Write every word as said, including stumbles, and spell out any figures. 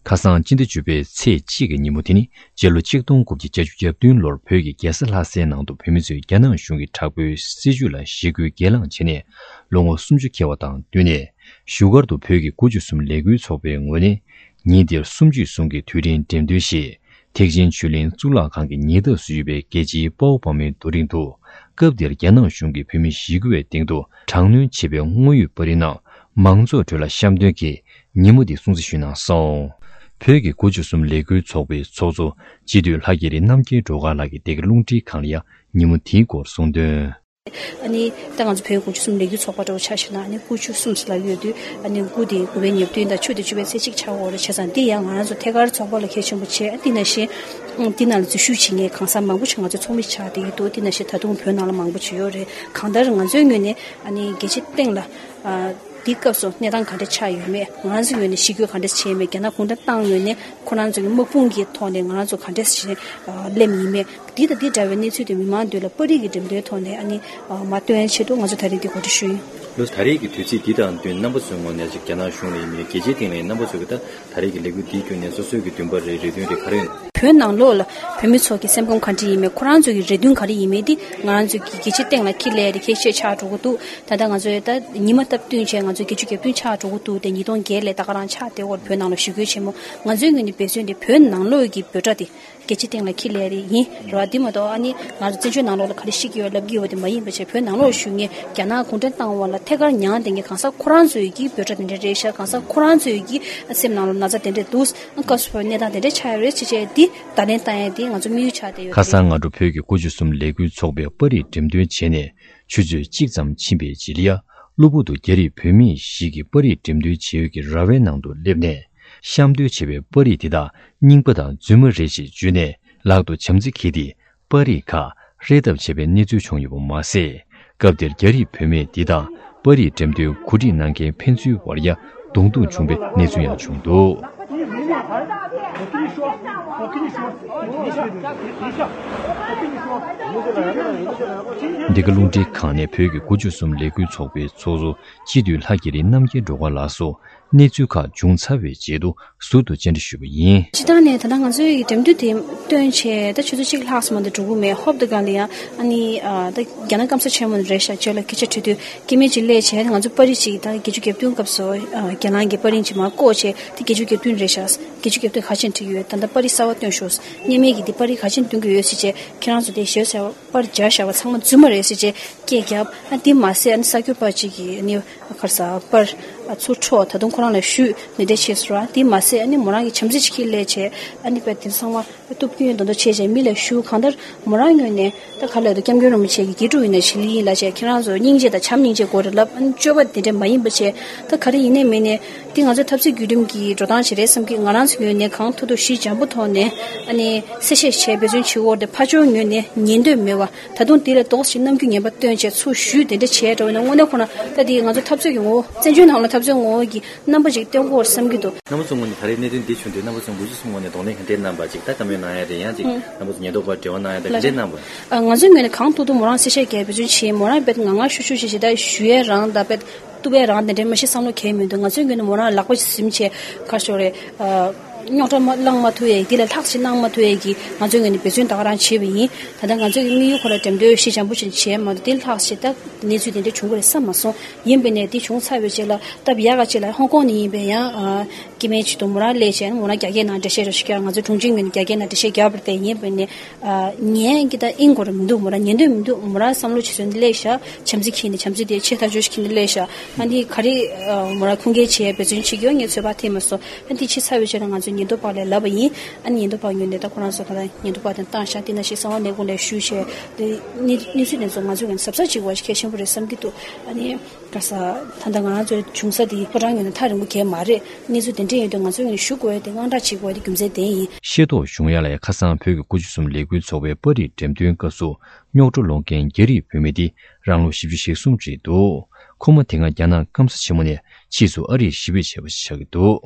ཁ་སང་སྤྱི་ཟླ་བཅུ་པའི་ཚེས་གཅིག་གི་ཉིན་མོ་དེ་ནི་སྤྱི་ལོ་ཆིག་སྟོང་དགུ་བརྒྱ་བརྒྱད་ཅུ་གྱ་བདུན་ལོར་བོད་ཀྱི་རྒྱལ་ས་ལྷ་སའི་ནང་དུ་བོད་མི་ཚོས་རྒྱ་ནག་གཞུང་གི་དྲག་པོའི་སྲིད་བྱུས་ལ་ཞི་རྒོལ་སྒེར་ལངས་བྱས་ནས་ལོ་ངོ་སུམ་ཅུ་འཁེལ་བ་དང་བསྟུན་ནས། བཞུགས་སྒར་དུ་བོད་ཀྱི་དགུ་བཅུ་གསུམ་ལས་འགུལ་ཚོགས་པའི་ངོས་ནས་ཉིན་དེར་གསུམ་བཅུའི་ཟུང་གི་དུས་དྲན་འགྲེམས་སྟོན་ཞེས། ཐེག་ཆེན་ཆོས་གླིང་གཙུག་ལག་ཁང་གི་ཉེ་འདབས་སུ་ཡོད་པའི་རྒྱལ་སྤྱིའི་དཔའ་བོ་དཔའ་མོའི་རྡོ་རིང་དུ། སྐབས་དེར་རྒྱ་ནག་གཞུང་གིས་བོད་མི་ཞི་རྒོལ་བའི་སྟེང་དུ་དྲག་གནོན་བྱས་པའི་དངོས་ཡོད་པར་རིས་རྣམས་མང་ཚོགས་ཁྲོད་ལ་གཤམ་སྟོན་གྱིས་ཉིན་མོ་འདི་སྲུང་བརྩི་ཞུས་གནང་སོང་། བོད་ཀྱི་དགུ་བཅུ་གསུམ་ལས་འགུལ་ཚོགས་པའི་ཚོགས་གཙོ་སྤྱི་འཐུས་ལྷ་རྒྱལ་རི་རྣམ་རྒྱལ་སྒྲོལ་དཀར་ལགས་ཀྱིས་འདི་ག་རླུང་འཕྲིན་ཁང་ལ་ཡང་ཉིན་མོ་དེའི་སྐོར་གསུངས་དོན། ཨ་ནི་ད་ང་ཚོ་བོད་དགུ་བཅུ་གསུམ་ལས་འགུལ་ཚོགས་པ་འདྲ་བོ་ཆ་བཞག་ན། ཨ་ནི་དགུ་བཅུ་གསུམ་ལ་ཡོད་དུས། ཨ་ནི་དགུ་དེ་དགུ་པའི་ཉེར་བདུན་དང་བཅུ་དེ་བཅུ་པའི་ཚེས་གཅིག་ཆགས་ཡོད་རེད། བྱས་ཙང་འདི་ཡང་ང་རང་ཚོ་ཐད་ཀར་ཚོགས་པ་ལ་གལ་ཆེན་པོ་བྱས། ཨ་འདི་ནང་བཞིན་འདི་ནང་ལ་འཛུལ་ཞུགས་བྱེད་མཁན་གང་ཟག་མང་པོ་ཞིག་ང་ཚོ་ཚོགས་མི་ཆགས་བསྡད་ཀྱི་འདུག་འདི་ནང་བཞིན་ད་དུང་བོད་ནང་ལ་མང་པོ་ཅིག་ཡོད་རེད། གང་ལྟར་ང་ཚོའི་ངོས་ནས་ཨ་ནི་རྒྱལ་སྤྱིའི་སྟེང་ལ། ཨ། འདི་སྐབས་སུ་གནས་སྟངས་ག་འདྲ་ཆགས་ཡོད་མེད། ང་རང་ཚོའི་ངོས་ནས་ཞི་རྒོལ་ག་འདྲ་བྱས་མེད། རྒྱ་ནག་གུང་ཁྲན་ཏང་ངོས་ནས་ཁོ་རང་ཚོ་གི་དམག་དཔུང་གི་ཐོག་ནས་ང་རང་ཚོ་ག་འདྲ་ཞིག་སླེབས་ཡིན་མེད། འདི་དང་འདི་འདྲ་བའི་གནས་ཚུལ་དེ་མི་མང་མདུན་ལ་པར་རིས་ཀྱི་འགྲེམས་སྟོན་ཐོག་ནས་ཨ་ནི་མར་སྟོན་ཆེད་དུ་ང་ཚོ་ད་རེས་འདི་གོ་སྒྲིག་ཞུས་ཡིན། ལགས་སོ། ད་རེས་ཀྱི་དུས་ཚིགས་འདི་དང་བསྟུན་རྣམ་པ་ཚོའི་ངོས་ནས་ཅིག་རྒྱ་ནག་གཞུང་ལ་ཡིན་མིན། རྒྱལ་སྤྱིའི་སྟེང་ལ་ཡིན། རྣམ་པ་ཚོ་གི་ད་ད་རེས་ཀྱི་ལས་འགུལ་འདིའི་བརྒྱུད་ནས་སོ་སོའི་གི་འདུན་པ་རེད། རེ་འདུན་རེད། ག་རེ་ཡོད། བོད་ནང་ལོགས་ལ་བོད་མི་ཚོ་གི་སེམས་ཁམས་ག་འདྲ་ཡིན་མིན། ཁོ་རང་ཚོ་གི་རེ་འདུན་ག་རེ་ཡིན་མིན་འདི་ང་རང་ཚོ་གི་རྒྱལ་སྤྱིའི་སྟེང་ལ་ཁྱི་ལས་རེ་ཁྱི་ཤས་ཆགས་འགྲོ་གི་འདུག་ད་ལྟ་ང་ཚོས་ད་ཉི་མ་སྟབས་བསྟུན་བྱས་ང་ཚོ་བརྒྱད་ཅུ་གྱ་བདུན་ཆགས་འགྲོ་གི་འདུག་དེ་ཉིས་སྟོང་བརྒྱད་ལས་ད་ག་རང་ཆགས་བསྡད་ཡོད་རེད། བོད་ནང་ལ་ཞི་རྒོལ་ཆེན་མོ། ང་ཚོའི་ངོས་ནས་འབད་བརྩོན་དེ་བོད་ནང་ལོགས་ཀྱི་འབོད་སྒྲ་དེ་རྒྱལ་སྤྱིའི་སྟེང་ལ་ཁྱི་ལས་རེ་ཡིན་རེད་བ། འདི་མ་གཏོགས་ཨ་ནི་ང་ཚོ་བཙན་བྱོལ་ནང་ལོགས་ལ་ག་རེ་བཤད་ཀྱི་ཡོད་ལབ་ཀྱི་ཡོད་དེ་མ་ཡིན་པ་བྱས། བོད་ནང་ལོགས་བཞུགས་མཁན་རྒྱ་ནག་གུང་ཁྲན་ཏང་དབང་ལ་ཐད་ཀར་མྱངས་བསྡད་མཁན་གང་ཟག་ཁོ་རང་ཚོའི་གི་འབོད་སྒྲ་དེ་འདྲ་རེད་ཤག་གང་ཟག་ཁོ་རང་ཚོའི་གི་སེམས་ནང་ལ་ན་ཚ་དེ་འདྲ་འདུག་སྐབས་སུ་བབས་གནས་སྟངས་དེ་འདྲ་ཆགས་ཡོད་རེད་ཅེས་བྱས་འདི་བརྡ་ལན་བཏང་ཡས་འདི་ང་ཚོ་དམིགས་ཡུལ་ཆགས་བསྡད་ཡོད་ཁ་རེད། སང་སྔ་དྲོ་བོད་ཀྱི་དགུ་བཅུ་གསུམ་ལས་འགུལ་ཚོགས་པས་པར་རིས་འགྲེམས་སྟོན་བྱས་ནས་ཆུ་ཚོད་གཅིག་ཙམ་ཕྱིན་པའི་རྗེས་ལ་ཡ། གློ་བུར་དུ་རྒྱ་རིགས་བུད་མེད་ཞིག་གིས་པར་རིས་འགྲེམས་སྟོན་བྱེད་ཡུལ་གྱི་ར་བའི་ནང་དུ་སླེབས་ནས། གཤམ་སྟོན་བྱས་པའི་པར་རིས་དེ་དག་རྙིང་པ་དང་རྫུན་མ་རེད་ཅེས་བརྗོད་ནས་ལག་ཏུ་བྱམས་བརྩེ་འཁྱེར་ཏེ། པར་རིས་ཁག་རེག་ཐབས་བྱས་པའི་གནས་ཚུལ་བྱུང་ཡོད་པ་མ་ཟད། སྐབས་དེར་རྒྱ་རིགས་བུད་མེད་འདི་དག་པར་རིས་འགྲེམས་སྟོན་གོ་སྒྲིག་གནང་མཁན་ཕན་ཚུན་བར་ཡ་གདོང་ཐུག་བྱུང་བའི་གནས་ཚུལ་ཡང་བྱུང་འདུག་འདི་ག་རླུང་འཕྲིན་ཁང་ནས་བོད་ཀྱི་དགུ་བཅུ་གསུམ་ལས་འགུལ་ཚོགས་པའི་ཚོགས་གཙོ་སྤྱི་འཐུས་ལྷ་རྒྱལ་རི་རྣམ་རྒྱལ་སྒྲོལ་དཀར་ལགས་སུ། གནས་ཚུལ་ཁག་བྱུང་ཚར་བའི་རྗེས་སུ་ཟུར་དུ་བཅར་འདྲི་ཞུས་པ་ཡིན། སྤྱིར་བཏང་ནས་ད་ལྟ་ང་ཚོའི་འགྲེམས་སྟོན་དེ་སྟོན་བྱས་ད་ཆུ་ཚོད་གཅིག་ལྷག་ཙམ་མ་གཏོགས་འགྲོ་གི་མེད། ཧོབ་དེ་ག་ལ་ཡང་ཨ་ནི་ཨ་ད་རྒྱ་ནག་སྐམ་ས་ཆེན་མོ་ནས་རེད་ཤག་རྗེས་ལ་སྐད་ཆ་དྲི་དུས་སྐྱེ་དམན་ཅིག་སླེབས་བྱས་ང་ཚོ་པར་རིས་ཅིག་ད་བརྒྱད་ཅུ་གྱ་བདུན་སྐབས་སུ་ཨ་རྒྱ་ནག་གི་པར་རིས་ཅིག་མར་བཀོད་བྱས་དེ་བརྒྱད་ཅུ་གྱ་བདུན་རེད་ཤག་བརྒྱད་ཅུ་གྱ་བདུན་ག་ཅན་བྲིས་ཡོད། ད་ལྟ་པར་རིས་གསར་པ་སྟོན་ཤོག་སྔོན་མའི་གི་འདི་པར་རིས་ག་ཅན་སྟོན་གྱི་ཡོད་ཟེར་བྱས་ཁྱེད་རང་ཚོ་དེ་ཞེས་ཟེར་བ། པར་སྦྱར་བཞག་པ་ཚང་མ་རྫུན་མ་རེད་ཟེར་བྱས་སྐད་བརྒྱབ། ཨ་འདི་མ་ཟད་ཨ་ནི་གསར་འགོད་པ་གཅིག་གིས་ཨ་ནི་ག་རེ་ཟ་པར་ཨ་ཚུར་འཕྲོག་ད་དུང་ཁོ་རང་ལ་གཞུས་འདི་འདྲ་བྱས་སོང་ར། འདི་མ་ཟད་ཨ་ནི་མོ་རང་གི་བྱམས་བརྩེ་ཅིག་ཁྱེར་སླེབས་བྱས་ཨ་ནི་པས་དེ་ཚང་མ་གཏུབ་སྐྱོན་མདོག་མདོག་བྱས་བྱས་མི་ལ་གཞུ། གང་ལྟར་མོ་རང་ངོས་ནས་ད་ག་ལ་དུ་སྐྱབས་མགོན་རིན་པོ་ཆེ་གི་དགེ་ཕྲུག་ཡིན་ན་ཞི་ལི་ཡིན་ལ་བྱས་ཁྱེད་རང་ཚོ་སྙིང་རྗེ་དང་བྱམས་སྙིང་རྗེ་དགོས་རེད་ལབ། ཨ་ནི་སྤྱོད་པ་དེ་འདྲ་མ་ཡིན་པ་བྱས་ད་ག་རེ་ཡིན་ནའི་མིན་ནའི་འདི་ང་ཚོ་འཐབ་རྩོད་བརྒྱུད་རིམ་གྱི་འགྲོ་སྟངས་ཅིག་རེད་བསམ་གི། ང་རང་ཚོ་ངོས་ནས་གང་ཐུབ་ཐུབ་ཞི་འཇམ་པོ་ཐོག་ནས་ཨ་ནི་གསལ་བཤད་བྱས་འབད་བརྩོན་བྱེད་དགོས་རེད། ཕར་ཕྱོགས་ངོས་ནས་ཉན་འདོད་མེད་པ། ད་དུང་དེ་ལས་ལྡོག་ཅིག་རྣམ་འགྱུར་ངན་པ་སྟོན་བྱས་ཚུར་གཞུས་དེ་འདྲ་བྱས་འགྲོ་བས་ན་དངོས་གནས་ཁོ་ན་ད་དེ་ང་ཚོ་འཐབ་རྩོད་ཀྱི་ངོ་བོ་བཙན་བྱོལ་ནང་ལ་འཐབ་རྩོད་ངོ་བོ་གི་རྣམ་པ་ཅིག་སྟོན་དགོས་བསམ་གྱི་འདུག་རྣམ་པ་ཚོ་ངོས་ནས་ད་རེས་གནད་དོན་འདི་བྱུང་དུས་རྣམ་པ་ཚོ་དགུ་བཅུ་གསུམ་ངོས་ནས་གདོང་ལེན་ག་འདྲས་གནང་པ་ཅིག་ད་བཀའ་མོལ་གནང་ཡ་རེད། ཡང་ཅིག་ཨང་རྣམ་པ་ཚོ་ཉེན་རྟོག་པ་འབྲེལ་བ་གནང་ཡ་ད་ག་འདྲས་གནང་པ། ཨ་ང་ཚོའི་ངོས་ནས་གང་ཐུབ་ཐུབ་མོ་རང་གསལ་བཤད་རྒྱག་འབད་བརྩོན་བྱས། མོ་རང་དཔེ་ང་ང་ཤུ་ཤུ་ཞེས་ཞེ་ད་ཞུ་ཡས་རང་ད་དཔེ་གཏུབ་ཡས་རང་དེ་འདྲས་མ་གཞི་བསམ་བློ་གས་མི་འདུག་ང་ཚོའི་ངོས་ནས་མོ་རང་ལག་པ་ཞིག་ཟིན་བྱས་ག་ཤོར་རེད། རྙོག་དྲ་མ་བསླང་མ་ཐུབ་ཡས་འདི་ལས་ལྷག་ཅིག་གནང་མ་ཐུབ་ཡས་ཀྱི་ང་ཚོའི་ངོས་ནས་འབད་བརྩོན་ད་ག་རང་བྱས་པ་ཡིན། ད་ལྟ་ང་ཚོའི་དམིགས་ཡུལ་ཁོ་ལ་འགྲེམས་སྟོན་ཞི་འཇམ་པོ་ཞིག་བྱས་མ་གཏོགས་འདི་ལྷག་ཅིག་ད་གནས་ཚུལ་དེ་འདྲ་བྱུང་གི་རེད་བསམ་མ་སོང་། ཡིན་པས་ནས་འདི་བྱུང་ཚར་བའི་རྗེས་ལ་སྟབས་ཡག་ག་ཅིག་ལ་ཧོང་ཀོང་ནས་ཡིན་པས་ཡང་སྐྱེ་དམན་ཅིག་ཏུ་མོ་རང་སླེབས་བྱས་མོ་རང་རྒྱ་སྐད་ནང་འགྲེལ་བཤད་རོགས་ཞིག་བརྒྱབ། ང་ཚོ་དྲུང་ཆེ་ངོས་ནས་རྒྱ་སྐད་ནང་འགྲེལ་བཤད་བརྒྱབ་པ་རེད་དེ། ཡིན་པས་ནས་ཉན་གྱི་ད་ཨིན་གོ་ར་མི་འདུག་མོ་རང་ཉན་འདོད་མི་འདུག་མོ་རང་བསམ་བློ་ཇེ་བཟང་དུ་སླེབས་ཤག་བྱམས་བརྩེ་འཁྱེར་ནས་བྱམས་བརྩེ་དེ་ཆེ་ཐག་ཆོད་ཞིག་འཁྱེར་ནས་སླེབས་ཤག་ཨ་འདི་ག་རེ་མོ་རང་ཁུངས་སྐྱེལ་བྱེད་འབད་བརྩོན་བྱེད་ཀྱི་ཡོད་ངས་ཚོད་དཔག་ཐེབས་མ་སོང་། ཨ་འདི་ཕྱི་ཚར་བའི་ཆེད་དུ་ང་ཚོས་ཉེན་རྟོག་པ་ལ་ལབ་པ་ཡིན། ཨ་ནི་ཉེན་རྟོག་པ་ངོས་ནས་ད་ཁོ་རང་ཚོ་ག་ལ་ཉེན་རྟོག་པ་དང་བཏང་ཤག་དེ་ནང་བཞིན་གསང་བ་ལས་ཁུངས་ལ་ཞུས་བྱས་དེ་གནས་གནས་ཚུལ་དེ་ཚོ་ང་ཚོའི་ངོས་ནས་གཟབ་གཟབ་བྱེད་དགོས་པ་ཞིག་གལ་ཆེན་པོ་རེད་བསམ་གྱི་འདུག་ཨ་ནི་ག་ས་ད་ལྟ་ང་རང་ཚོའི་བྱུང་ས་དེ་ཕོ་བྲང་ངོས་ནས་ཐག་རིང་པོ་གས་མ་རེད། གནས་ཚུལ་དེ་འདྲ་ཡིན་དུས་ང་ཚོའི་ངོས་ནས་ཞུ་དགོས་ཡ་དེ་དངངས་སྐྲག་བྱེད་དགོས་ཡ་དེ་རྒྱུ་མཚན་ལྡན་ཡིན། ཤེས་རྟོགས་བྱུང་ཡ་ལ་ཡ་ཁ་སང་བོད་ཀྱི་དགུ་བཅུ་གསུམ་ལས་འགུལ་ཚོགས་པའི་པར་རིས་འགྲེམས་སྟོན་སྐབས་སུ། རྙོག་དྲ་སློང་མཁན་རྒྱ་རིགས་བུད་མེད་འདི་རང་ལོ་བཞི་བཅུ་ཞེ་གསུམ་རེད་འདུག་ཁོ་མོ་དེ་སྔ་རྒྱ་ནག་སྐམ་ས་ཆེན་མོ་ནས་ཕྱིས་སུ་ཨ་རིར་གཞིས་སྤོས་བྱས་པ་ཞིག་ཆགས་ཀྱི་འདུག